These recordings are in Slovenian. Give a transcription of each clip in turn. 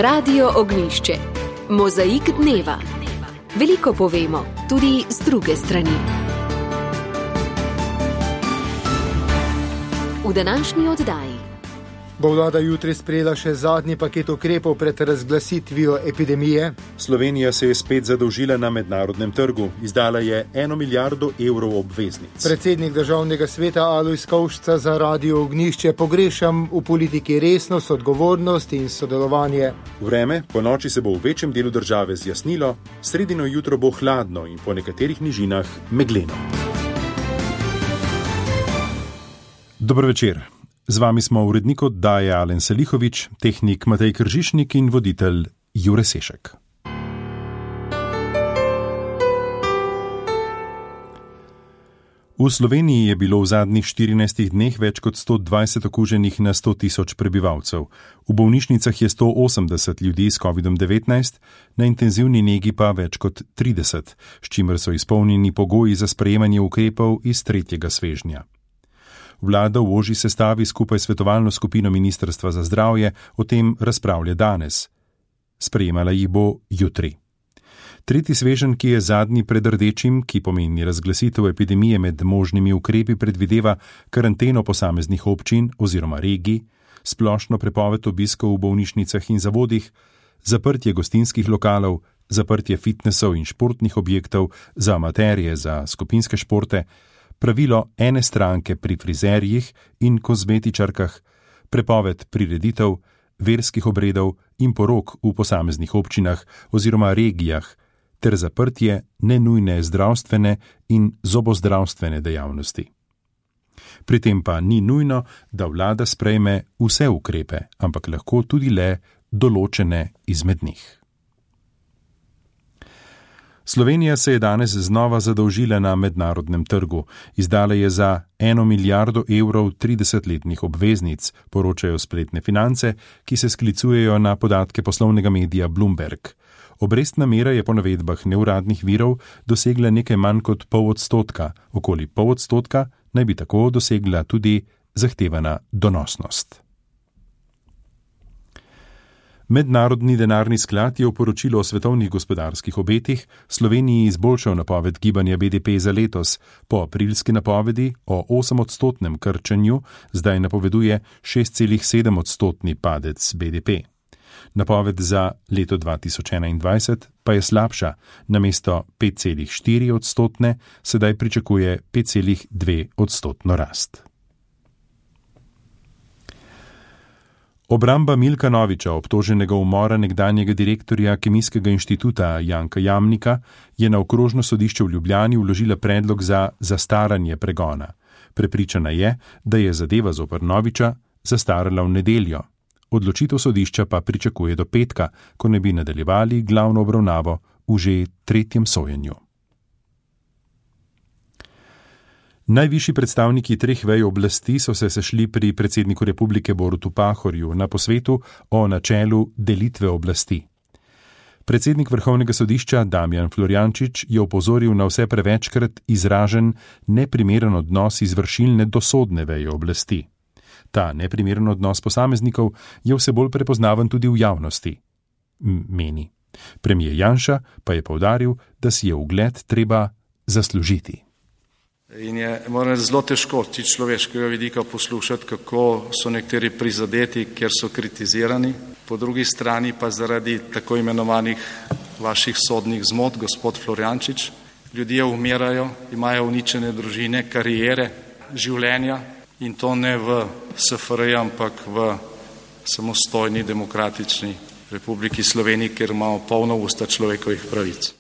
Radio Ognjišče. Mozaik dneva. Veliko povemo, tudi z druge strani. V današnji oddaji bo vlada jutri sprejela še zadnji paket ukrepov pred razglasitvijo epidemije. Slovenija se je spet zadolžila na mednarodnem trgu. Izdala je 1 milijardo evrov obveznic. Predsednik državnega sveta Alojz Kovšca za Radio Ognjišče: pogrešam v politiki resnost, odgovornost in sodelovanje. Vreme po noči se bo v večjem delu države zjasnilo, sredino jutro bo hladno in po nekaterih nižinah megleno. Dober večer. Z vami smo urednik oddaje Alen Selihovič, tehnik Matej Kržišnik in voditelj Jure Sešek. V Sloveniji je bilo v zadnjih 14 dneh več kot 120 okuženih na 100 tisoč prebivalcev. V bolnišnicah je 180 ljudi s COVID-19, na intenzivni negi pa več kot 30, s čimer so izpolnjeni pogoji za sprejemanje ukrepov iz tretjega svežnja. Vlada v ožji sestavi skupaj s svetovalno skupino Ministrstva za zdravje o tem razpravlja danes. Sprejemala jih bo jutri. Tretji sveženj, ki je zadnji pred rdečim, ki pomeni razglasitev epidemije med možnimi ukrepi, predvideva karanteno posameznih občin oziroma regij, splošno prepoved obiskov v bolnišnicah in zavodih, zaprtje gostinskih lokalov, zaprtje fitnesov in športnih objektov za amaterje, za skupinske športe, pravilo ene stranke pri frizerjih in kozmetičarkah, prepoved prireditev, verskih obredov in porok v posameznih občinah oziroma regijah ter zaprtje nenujne zdravstvene in zobozdravstvene dejavnosti. Pri tem pa ni nujno, da vlada sprejme vse ukrepe, ampak lahko tudi le določene izmed njih. Slovenija se je danes znova zadolžila na mednarodnem trgu. Izdala je za 1 milijardo evrov 30-letnih obveznic, poročajo spletne Finance, ki se sklicujejo na podatke poslovnega medija Bloomberg. Obrestna mera je po navedbah neuradnih virov dosegla nekaj manj kot 0,5%, okoli 0,5% naj bi tako dosegla tudi zahtevana donosnost. Mednarodni denarni sklad je v poročilu o svetovnih gospodarskih obetih Sloveniji izboljšal napoved gibanja BDP za letos. Po aprilski napovedi o 8% krčenju zdaj napoveduje 6,7% padec BDP. Napoved za leto 2021 pa je slabša, namesto 5,4% sedaj pričakuje 5,2% rast. Obramba Milka Noviča, obtoženega umora nekdanjega direktorja Kemijskega inštituta Janka Jamnika, je na okrožno sodišče v Ljubljani vložila predlog za zastaranje pregona. Prepričana je, da je zadeva zoper Noviča zastarala v nedeljo. Odločitev sodišča pa pričakuje do petka, ko ne bi nadaljevali glavno obravnavo v že tretjem sojenju. Najvišji predstavniki treh vej oblasti so se sešli pri predsedniku republike Borutu Pahorju na posvetu o načelu delitve oblasti. Predsednik Vrhovnega sodišča Damijan Florjančič je opozoril na vse prevečkrat izražen neprimeren odnos izvršilne do sodne veje oblasti. Ta neprimeren odnos posameznikov je vse bolj prepoznaven tudi v javnosti, meni. Premier Janša pa je poudaril, da si je ugled treba zaslužiti. In je, moram reči, zelo težko z človeškega vidika poslušati, kako so nekateri prizadeti, ker so kritizirani, po drugi strani pa zaradi tako imenovanih vaših sodnih zmot, gospod Florjančič, ljudje umirajo, imajo uničene družine, kariere, življenja in to ne v SFRJ, ampak v samostojni demokratični Republiki Sloveniji, kjer imamo polno usta človekovih pravic.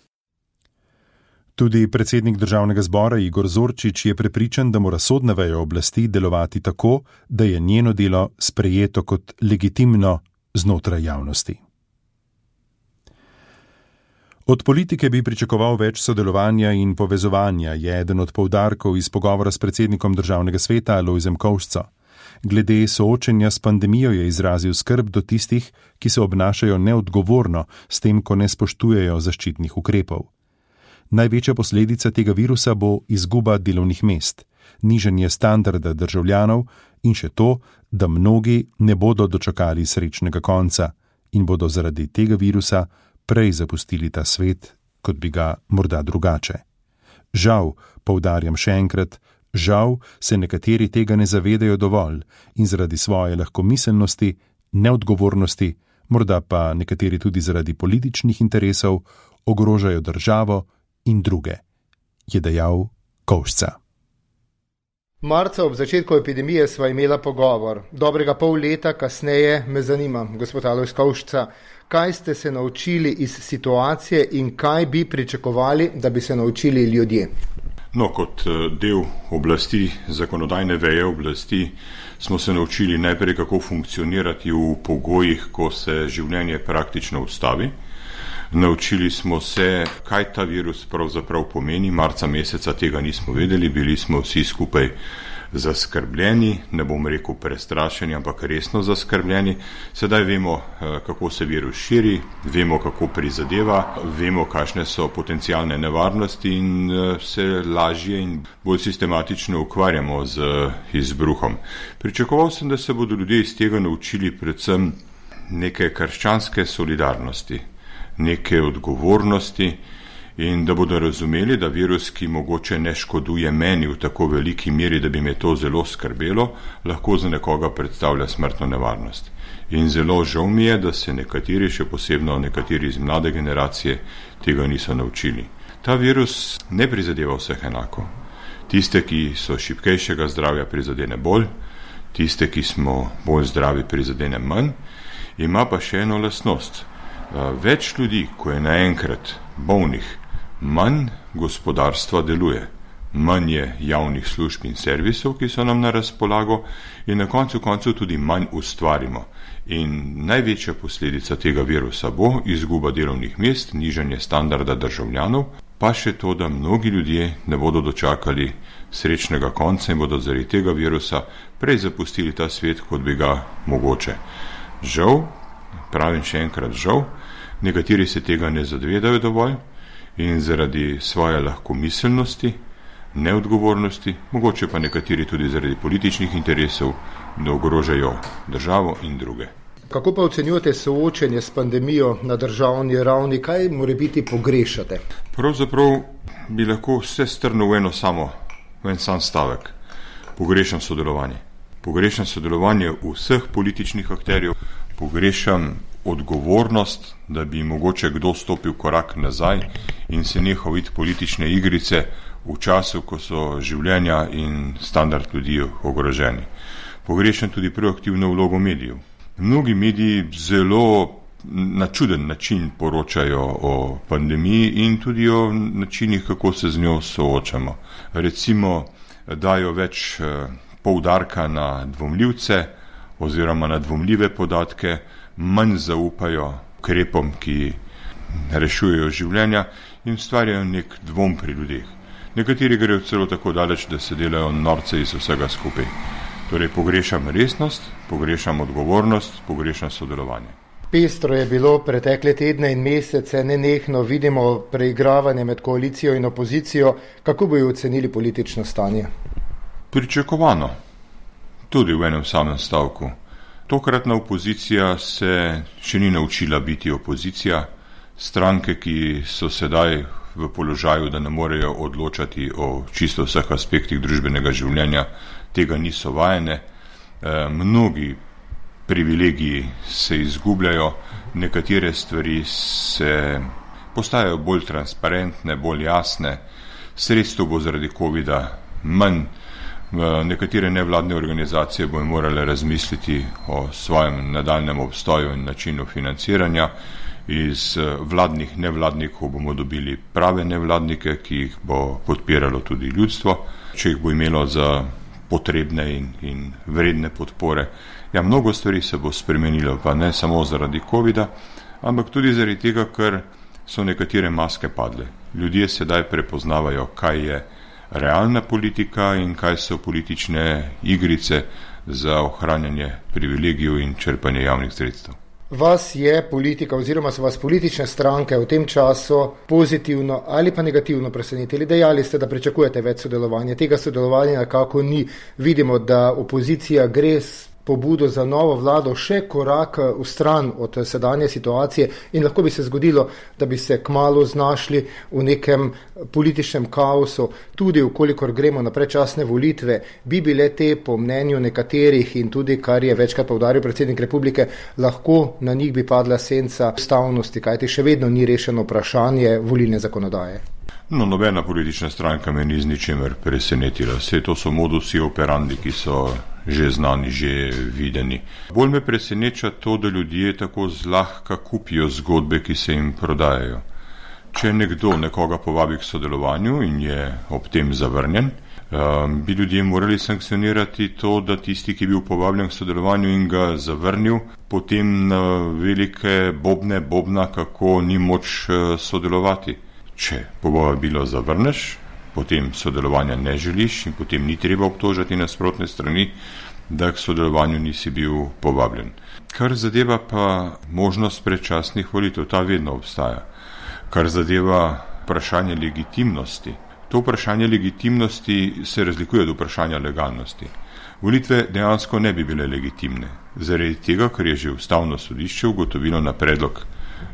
Tudi predsednik državnega zbora Igor Zorčič je prepričan, da mora sodna veja oblasti delovati tako, da je njeno delo sprejeto kot legitimno znotraj javnosti. Od politike bi pričakoval več sodelovanja in povezovanja, je eden od poudarkov iz pogovora s predsednikom državnega sveta Alojzem Kovšco. Glede soočenja s pandemijo je izrazil skrb do tistih, ki se obnašajo neodgovorno s tem, ko ne spoštujejo zaščitnih ukrepov. Največja posledica tega virusa bo izguba delovnih mest, nižanje standarda državljanov in še to, da mnogi ne bodo dočakali srečnega konca, in bodo zaradi tega virusa prej zapustili ta svet, kot bi ga morda drugače. Žal, poudarjam še enkrat, žal se nekateri tega ne zavedajo dovolj in zaradi svoje lahkomiselnosti, neodgovornosti, morda pa nekateri tudi zaradi političnih interesov, ogrožajo državo in druge, je dejal Kovšca. Marca ob začetku epidemije sva imela pogovor. Dobrega pol leta kasneje me zanima, gospod Alojz Kovšca, kaj ste se naučili iz situacije in kaj bi pričakovali, da bi se naučili ljudje? No, kot del oblasti, zakonodajne veje oblasti, smo se naučili najprej, kako funkcionirati v pogojih, ko se življenje praktično ustavi. Naučili smo se, kaj ta virus pravzaprav pomeni. Marca meseca tega nismo vedeli, bili smo vsi skupaj zaskrbljeni, ne bom rekel prestrašeni, ampak resno zaskrbljeni. Sedaj vemo, kako se virus širi, vemo, kako prizadeva, vemo, kakšne so potencialne nevarnosti in se lažje in bolj sistematično ukvarjamo z izbruhom. Pričakoval sem, da se bodo ljudje iz tega naučili predvsem neke krščanske solidarnosti, neke odgovornosti in da bodo razumeli, da virus, ki mogoče ne škoduje meni v tako veliki meri, da bi me to zelo skrbelo, lahko za nekoga predstavlja smrtno nevarnost. In zelo žal mi je, da se nekateri, še posebno nekateri iz mlade generacije, tega niso naučili. Ta virus ne prizadeva vseh enako. Tiste, ki so šibkejšega zdravja, prizadene bolj, tiste, ki smo bolj zdravi, prizadene manj, ima pa še eno lastnost. Več ljudi, ko je naenkrat bolnih, manj gospodarstva deluje, manj je javnih služb in servisov, ki so nam na razpolago in na koncu tudi manj ustvarimo. In največja posledica tega virusa bo izguba delovnih mest, nižanje standarda državljanov, pa še to, da mnogi ljudje ne bodo dočakali srečnega konca in bodo zaradi tega virusa prej zapustili ta svet, kot bi ga mogoče. Žal, pravim še enkrat žal, nekateri se tega ne zavedajo dovolj in zaradi svoje lahkomiselnosti, neodgovornosti, mogoče pa nekateri tudi zaradi političnih interesov, da ogrožajo državo in druge. Kako pa ocenjujete soočenje s pandemijo na državni ravni, kaj morebiti pogrešate? Pravzaprav bi lahko vse strnil v en sam stavek. Pogrešam sodelovanje. Pogrešam sodelovanje vseh političnih akterjev, pogrešam odgovornost, da bi mogoče kdo stopil korak nazaj in se nehal videti politične igrice v času, ko so življenja in standard ljudi ogroženi. Pogrešam tudi proaktivno vlogo medijev. Mnogi mediji zelo na čuden način poročajo o pandemiji in tudi o načinih, kako se z njo soočamo. Recimo, dajo več poudarka na dvomljivce oziroma na dvomljive podatke, manj zaupajo ukrepom, ki rešujejo življenja in ustvarjajo nek dvom pri ljudeh. Nekateri grejo celo tako daleč, da se delajo norce iz vsega skupaj. Torej pogrešam resnost, pogrešam odgovornost, pogrešam sodelovanje. Pestro je bilo pretekle tedne in mesece, nenehno vidimo preigravanje med koalicijo in opozicijo. Kako bi ocenili politično stanje? Pričakovano, tudi v enem samem stavku. Tokratna opozicija se še ni naučila biti opozicija. Stranke, ki so sedaj v položaju, da ne morejo odločati o čisto vseh aspektih družbenega življenja, tega niso vajene. Mnogi privilegiji se izgubljajo, nekatere stvari se postajajo bolj transparentne, bolj jasne, sredstev bo zaradi covida manj. Nekatere nevladne organizacije bodo morale razmisliti o svojem nadaljnjem obstoju in načinu financiranja. Iz vladnih nevladnikov bomo dobili prave nevladnike, ki jih bo podpiralo tudi ljudstvo, če jih bo imelo za potrebne in vredne podpore. Ja, mnogo stvari se bo spremenilo, pa ne samo zaradi covida, ampak tudi zaradi tega, ker so nekatere maske padle. Ljudje sedaj prepoznavajo, kaj je realna politika in kaj so politične igrice za ohranjanje privilegijev in črpanje javnih sredstev. Vas je politika oziroma so vas politične stranke v tem času pozitivno ali pa negativno presenetili? Dejali ste, da pričakujete več sodelovanja. Tega sodelovanja nekako ni. Vidimo, da opozicija gre pobudo za novo vlado še korak v stran od sedanje situacije in lahko bi se zgodilo, da bi se kmalu znašli v nekem političnem kaosu, tudi ukolikor gremo na predčasne volitve, bi bile te po mnenju nekaterih in tudi, kar je večkrat poudaril predsednik republike, lahko na njih bi padla senca ustavnosti, kajti še vedno ni rešeno vprašanje volilne zakonodaje. No, nobena politična stranka me ni z ničemer presenetila. Vse to so modusi operandi, ki so že znani, že videni. Bolj me preseneča to, da ljudje tako zlahka kupijo zgodbe, ki se jim prodajajo. Če nekdo nekoga povabi k sodelovanju in je ob tem zavrnjen, bi ljudje morali sankcionirati to, da tisti, ki je bil povabljen k sodelovanju in ga zavrnil, potem na velike bobna, kako ni moč sodelovati. Če povabilo zavrneš, potem sodelovanja ne želiš in potem ni treba obtožati nasprotne strani, da k sodelovanju nisi bil povabljen. Kar zadeva pa možnost predčasnih volitev, ta vedno obstaja. Kar zadeva vprašanje legitimnosti, to vprašanje legitimnosti se razlikuje od vprašanja legalnosti. Volitve dejansko ne bi bile legitimne, zaradi tega, ker je že Ustavno sodišče ugotovilo na predlog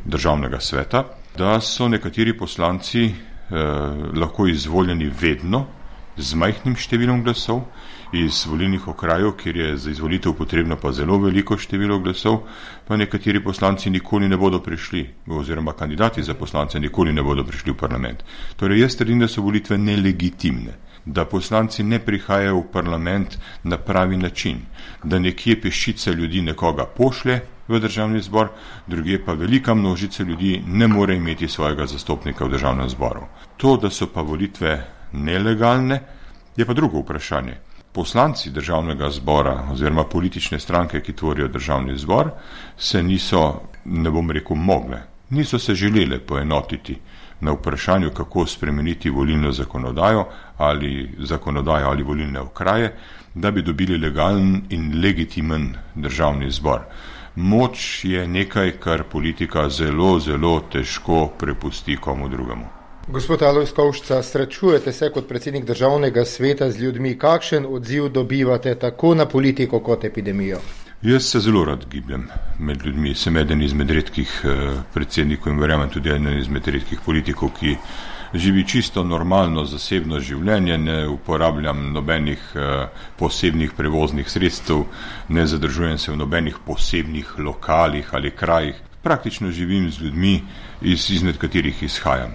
Državnega sveta, da so nekateri poslanci lahko izvoljeni vedno z majhnim številom glasov iz volilnih okrajev, kjer je za izvolitev potrebno pa zelo veliko število glasov, pa nekateri poslanci nikoli ne bodo prišli, oziroma kandidati za poslance nikoli ne bodo prišli v parlament. Torej jaz trdim, da so volitve nelegitimne, da poslanci ne prihajajo v parlament na pravi način, da nekje peščica ljudi nekoga pošlje v državni zbor, druge pa velika množica ljudi ne more imeti svojega zastopnika v državnem zboru. To, da so pa volitve nelegalne, je pa drugo vprašanje. Poslanci državnega zbora oziroma politične stranke, ki tvorijo državni zbor, se niso, ne bom rekel, mogle, niso se želele poenotiti na vprašanju, kako spremeniti volilno zakonodajo ali volilne okraje, da bi dobili legalen in legitimen državni zbor. Moč je nekaj, kar politika zelo, zelo težko prepusti komu drugemu. Gospod Alojz Kovšca, srečujete se kot predsednik Državnega sveta z ljudmi. Kakšen odziv dobivate tako na politiko kot epidemijo? Jaz se zelo rad gibljem med ljudmi. Sem eden izmed redkih predsednikov in verjamem tudi eden izmed redkih politikov, ki živi čisto normalno zasebno življenje, ne uporabljam nobenih posebnih prevoznih sredstev, ne zadržujem se v nobenih posebnih lokalih ali krajih. Praktično živim z ljudmi, izmed katerih izhajam.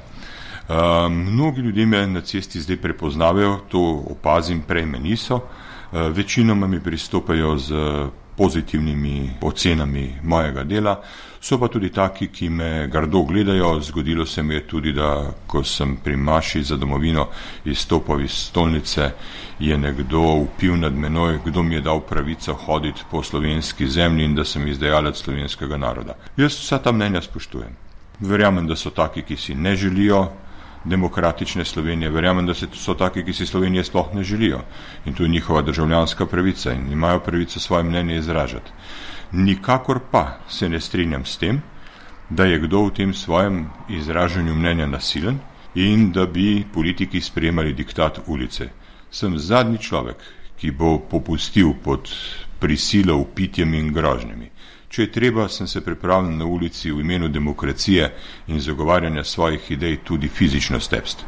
Mnogi ljudje me na cesti zdaj prepoznavajo, to opazim, prej me niso. Večinoma mi pristopajo z pozitivnimi ocenami mojega dela, so pa tudi taki, ki me grdo gledajo. Zgodilo se mi je tudi, da ko sem pri maši za domovino izstopal iz stolnice, je nekdo vpil nad menoj, kdo mi je dal pravico hoditi po slovenski zemlji in da sem izdajalec slovenskega naroda. Jaz vsa ta mnenja spoštujem. Verjamem, da so taki, ki si ne želijo demokratične Slovenije, verjamem, da so taki, ki si Slovenije sploh ne želijo. In to je njihova državljanska pravica in imajo pravico svoje mnenje izražati. Nikakor pa se ne strinjam s tem, da je kdo v tem svojem izražanju mnenja nasilen in da bi politiki sprejemali diktat ulice. Sem zadnji človek, ki bo popustil pod prisilo, vpitjem in grožnjami. Če je treba, sem se pripravljen na ulici v imenu demokracije in zagovarjanja svojih idej tudi fizično stepsti.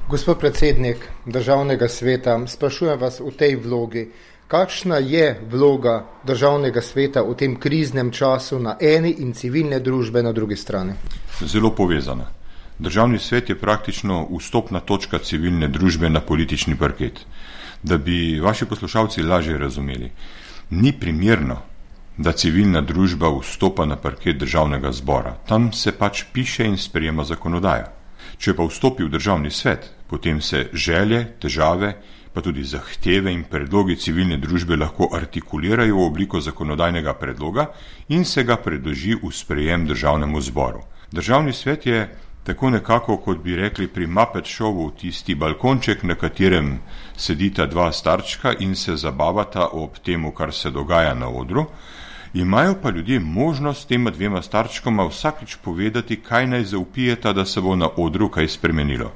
Gospod predsednik Državnega sveta, sprašujem vas v tej vlogi, kakšna je vloga Državnega sveta v tem kriznem času na eni in civilne družbe na drugi strani? Zelo povezana. Državni svet je praktično vstopna točka civilne družbe na politični parket. Da bi vaši poslušalci lažje razumeli, ni primerno, da civilna družba vstopa na parket državnega zbora. Tam se pač piše in sprejema zakonodaja. Če pa vstopi v državni svet, potem se želje, težave, pa tudi zahteve in predlogi civilne družbe lahko artikulirajo v obliko zakonodajnega predloga in se ga predloži v sprejem državnemu zboru. Državni svet je tako nekako, kot bi rekli pri Muppet Showu, tisti balkonček, na katerem sedita dva starčka in se zabavata ob temu, kar se dogaja na odru. Imajo pa ljudje možnost tema dvema starčkoma vsakič povedati, kaj naj zaupijeta, da se bo na odru kaj spremenilo.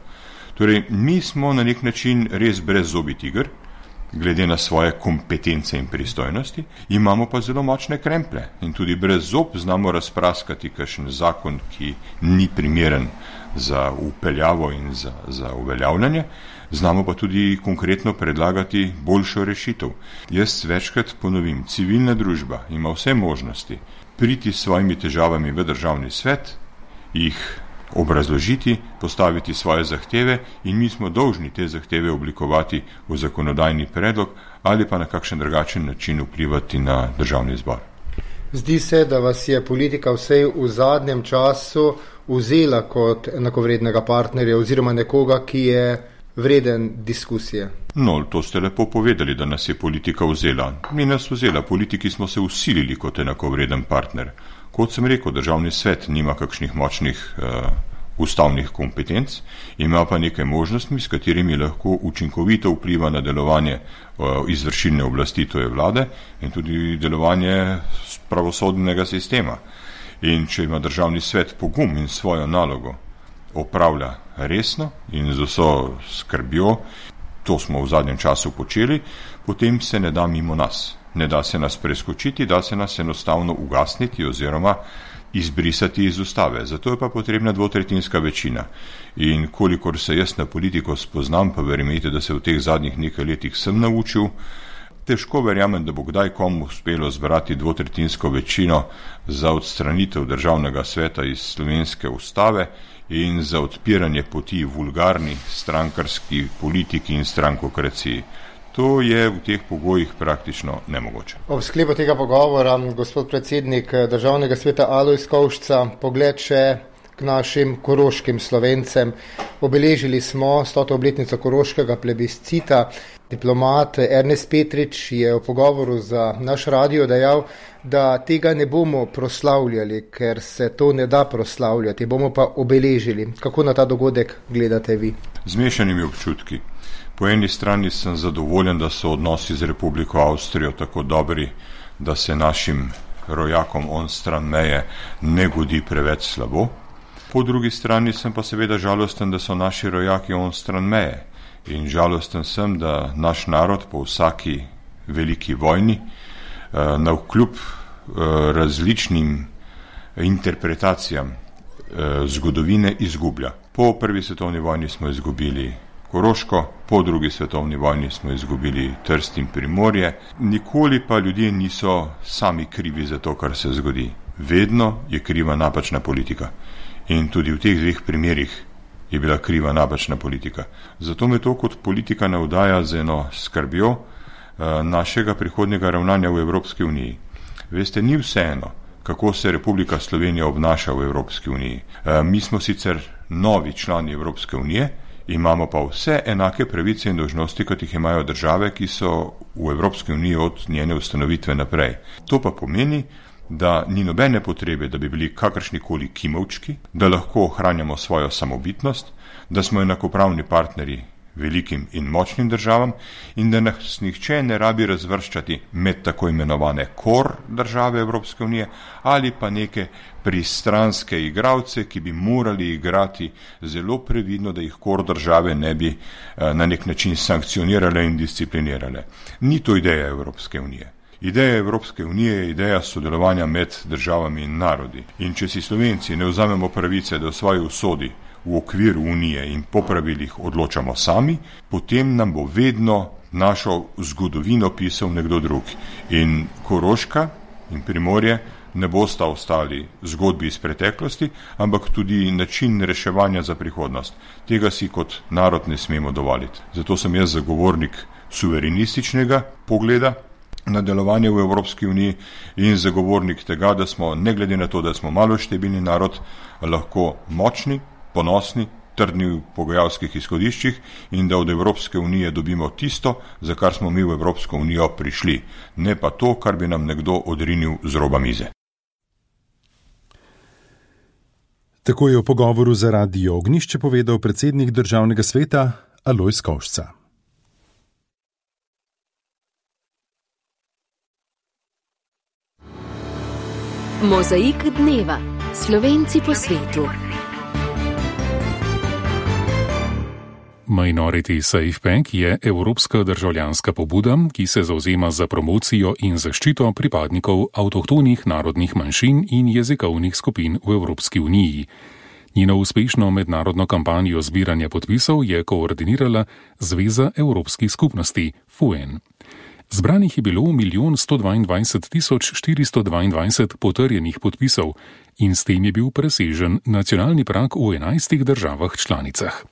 Torej, mi smo na nek način res brezzobi tiger, glede na svoje kompetence in pristojnosti, imamo pa zelo močne kremplje in tudi brez zob znamo razpraskati kakšen zakon, ki ni primeren za upeljavo in za uveljavljanje, znamo pa tudi konkretno predlagati boljšo rešitev. Jaz večkrat ponovim, civilna družba ima vse možnosti priti s svojimi težavami v državni svet, jih obrazložiti, postaviti svoje zahteve in mi smo dolžni te zahteve oblikovati v zakonodajni predlog ali pa na kakšen drugačen način vplivati na državni zbor. Zdi se, da vas je politika vsej v zadnjem času vzela kot enakovrednega partnerja oziroma nekoga, ki je vreden diskusije. No, to ste lepo povedali, da nas je politika vzela. Ni nas vzela, politiki smo se usilili kot enakovreden partner. Kot sem rekel, državni svet nima kakšnih močnih ustavnih kompetenc, ima pa nekaj možnostmi, s katerimi lahko učinkovito vpliva na delovanje izvršilne oblasti, to je vlade, in tudi delovanje pravosodnega sistema. In če ima državni svet pogum in svojo nalogo opravlja resno in z vso skrbjo, to smo v zadnjem času počeli, potem se ne da mimo nas. Ne da se nas preskočiti, da se nas enostavno ugasniti oziroma izbrisati iz ustave. Zato je pa potrebna dvotretjinska večina. In kolikor se jaz na politiko spoznam, pa verjemite, da se v teh zadnjih nekaj letih sem naučil, težko verjamem, da bo kdaj komu uspelo zbrati dvotretjinsko večino za odstranitev državnega sveta iz slovenske ustave in za odpiranje poti vulgarni strankarski politiki in strankokraciji. To je v teh pogojih praktično nemogoče. Ob sklepu tega pogovora, gospod predsednik državnega sveta Alojz Kovšca, pogled še k našim koroškim Slovencem. Obeležili smo 100. obletnico koroškega plebiscita. Diplomat Ernest Petrič je v pogovoru za naš radio dejal, da tega ne bomo proslavljali, ker se to ne da proslavljati, bomo pa obeležili. Kako na ta dogodek gledate vi? Z mešanimi občutki. Po eni strani sem zadovoljen, da so odnosi z Republiko Avstrijo tako dobri, da se našim rojakom on stran meje ne godi preveč slabo. Po drugi strani sem pa seveda žalosten, da so naši rojaki on stran meje. In žalosten sem, da naš narod po vsaki veliki vojni navkljub različnim interpretacijam zgodovine izgublja. Po prvi svetovni vojni smo izgubili Koroško, po drugi svetovni vojni smo izgubili Trst in Primorje. Nikoli pa ljudje niso sami krivi za to, kar se zgodi. Vedno je kriva napačna politika. In tudi v teh dveh primerih je bila kriva napačna politika. Zato me to kot politika navdaja z eno skrbjo našega prihodnjega ravnanja v Evropski uniji. Veste, ni vseeno, kako se Republika Slovenija obnaša v Evropski uniji. Mi smo sicer novi člani Evropske unije, imamo pa vse enake pravice in dolžnosti, kot jih imajo države, ki so v Evropski uniji od njene ustanovitve naprej. To pa pomeni, da ni nobene potrebe, da bi bili kakršnikoli kimavčki, da lahko ohranjamo svojo samobitnost, da smo enakopravni partnerji velikim in močnim državam in da nas nihče ne rabi razvrščati med tako imenovane kor države Evropske unije ali pa neke pristranske igralce, ki bi morali igrati zelo previdno, da jih kor države ne bi na nek način sankcionirale in disciplinirale. Ni to ideja Evropske unije. Ideja Evropske unije je ideja sodelovanja med državami in narodi. In če si Slovenci ne vzamemo pravice, da v svoji usodi v okviru unije in po pravilih odločamo sami, potem nam bo vedno našo zgodovino pisal nekdo drug. In Koroška in Primorje ne bosta ostali zgodbi iz preteklosti, ampak tudi način reševanja za prihodnost. Tega si kot narod ne smemo dovoliti. Zato sem jaz zagovornik suverenističnega pogleda na delovanje v Evropski uniji in zagovornik tega, da smo, ne glede na to, da smo maloštevilni narod, lahko močni, ponosni, trdni v pogajalskih izhodiščih in da od Evropske unije dobimo tisto, za kar smo mi v Evropsko unijo prišli, ne pa to, kar bi nam nekdo odrinil z roba mize. Tako je v pogovoru za Radio Ognjišče povedal predsednik državnega sveta Alojz Kovšca. Mozaik dneva. Slovenci po svetu. Minority Safe Pack je evropska državljanska pobuda, ki se zavzema za promocijo in zaščito pripadnikov avtohtonih narodnih manjšin in jezikovnih skupin v Evropski uniji. Njeno uspešno mednarodno kampanjo zbiranja podpisov je koordinirala Zveza evropskih skupnosti FUEN. Zbranih je bilo 1.122.422 potrjenih podpisov in s tem je bil presežen nacionalni prag v 11 državah članicah.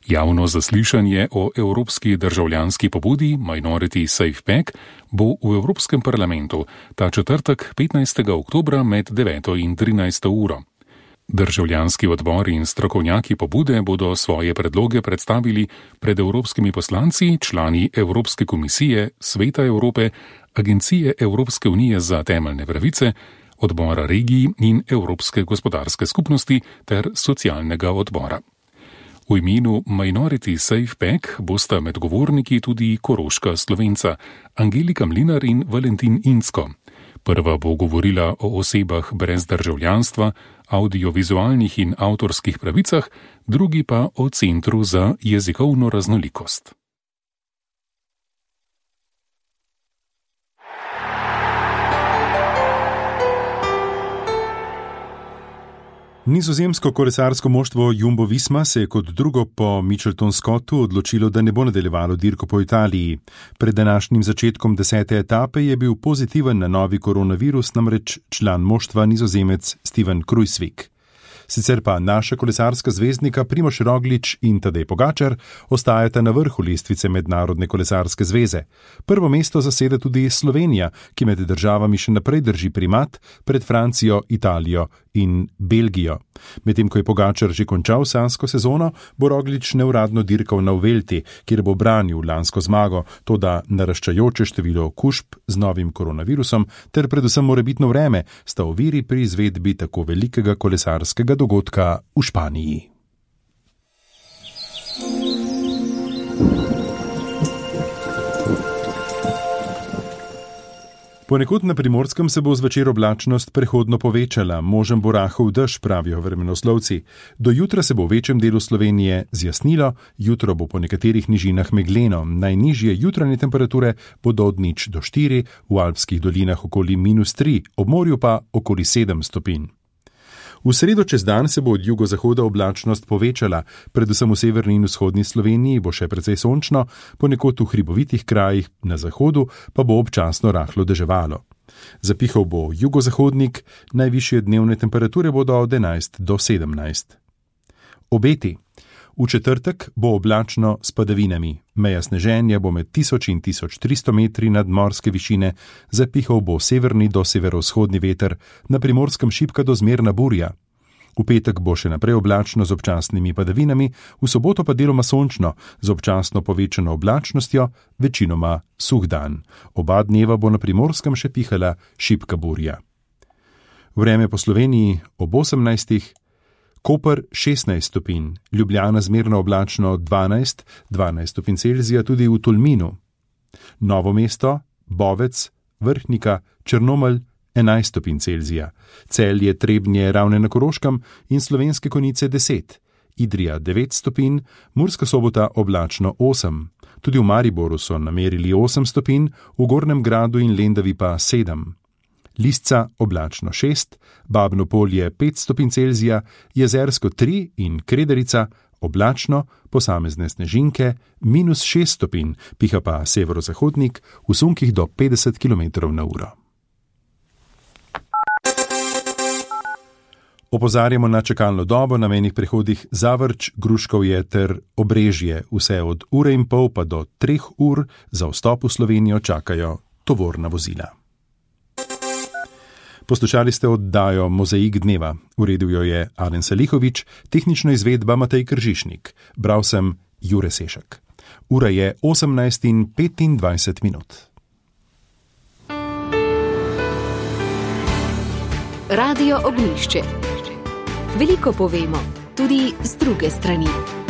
Javno zaslišanje o evropski državljanski pobudi Minority Safe Pack bo v Evropskem parlamentu ta četrtek 15. oktobra med 9. in 13. uro. Državljanski odbor in strokovnjaki pobude bodo svoje predloge predstavili pred evropskimi poslanci, člani Evropske komisije, Sveta Evrope, Agencije Evropske unije za temeljne pravice, odbora regij in Evropske gospodarske skupnosti ter socialnega odbora. V imenu Minority Safe Pack bosta med govorniki tudi koroška Slovenca Angelika Mlinar in Valentin Incko. Prva bo govorila o osebah brez državljanstva, audiovizualnih in avtorskih pravicah, drugi pa o Centru za jezikovno raznolikost. Nizozemsko kolesarsko moštvo Jumbo Visma se je kot drugo po Mitchelton Scottu odločilo, da ne bo nadaljevalo dirko po Italiji. Pred današnjim začetkom 10. etape je bil pozitiven na novi koronavirus, namreč član moštva Nizozemec Steven Kruijswijk. Sicer pa naša kolesarska zvezdnika Primož Roglič in Tadej Pogačar ostajata na vrhu lestvice Mednarodne kolesarske zveze. Prvo mesto zaseda tudi Slovenija, ki med državami še naprej drži primat pred Francijo, Italijo in Belgijo. Medtem ko je Pogačar že končal sanjsko sezono, bo Roglič neuradno dirkal na Vuelti, kjer bo branil lansko zmago, toda naraščajoče število okužb z novim koronavirusom ter predvsem morebitno vreme sta oviri pri izvedbi tako velikega kolesarskega dogodka v Španiji. Ponekod na Primorskem se bo zvečer oblačnost prehodno povečala, možen bo rahel dež, pravijo vremenoslovci. Do jutra se bo v večjem delu Slovenije zjasnilo, jutro bo po nekaterih nižinah megleno, najnižje jutranje temperature bodo od 0 do 4, v alpskih dolinah okoli -3, ob morju pa okoli 7 stopinj. V sredo čez dan se bo od jugozahoda oblačnost povečala, predvsem v severni in vzhodni Sloveniji bo še precej sončno, ponekod v hribovitih krajih na zahodu pa bo občasno rahlo deževalo. Zapihal bo jugozahodnik, najvišje dnevne temperature bodo od 11 do 17. Obeti. V četrtek bo oblačno s padavinami. Meja sneženja bo med 1000 in 1300 metri nadmorske višine, zapihal bo severni do severovzhodni veter, na Primorskem šibka do zmerna burja. V petek bo še naprej oblačno z občasnimi padavinami, v soboto pa deloma sončno, z občasno povečano oblačnostjo, večinoma suh dan. Oba dneva bo na Primorskem še pihala šibka burja. Vreme po Sloveniji ob 18. Koper 16 stopinj, Ljubljana zmerno oblačno 12 stopinj Celzija tudi v Tolminu. Novo mesto, Bovec, Vrhnika, Črnomelj 11 stopinj Celzija, Celje, Trebnje, Ravne na Koroškem in Slovenske Konjice 10, Idrija 9 stopinj, Murska Sobota oblačno 8. Tudi v Mariboru so namerili 8 stopinj, v Gornjem Gradu in Lendavi pa 7. Lisca oblačno 6, Babno Polje 5 stopinj Celzija, Jezersko 3 in Krederica oblačno, posamezne snežinke -6 stopinj, piha pa severozahodnik v sunkih do 50 km/h. Opozarjamo na čakalno dobo na mejnih prehodih Zavrč, Gruškovje ter Obrežje. Vse od 1,5 pa do 3 ur za vstop v Slovenijo čakajo tovorna vozila. Poslušali ste oddajo Mozaik dneva. Uredil jo je Alen Salihovič, tehnično izvedba Matej Kržišnik. Bral sem Jure Sešek. Ura je 18:25. Radio Ognjišče. Veliko povemo, tudi z druge strani.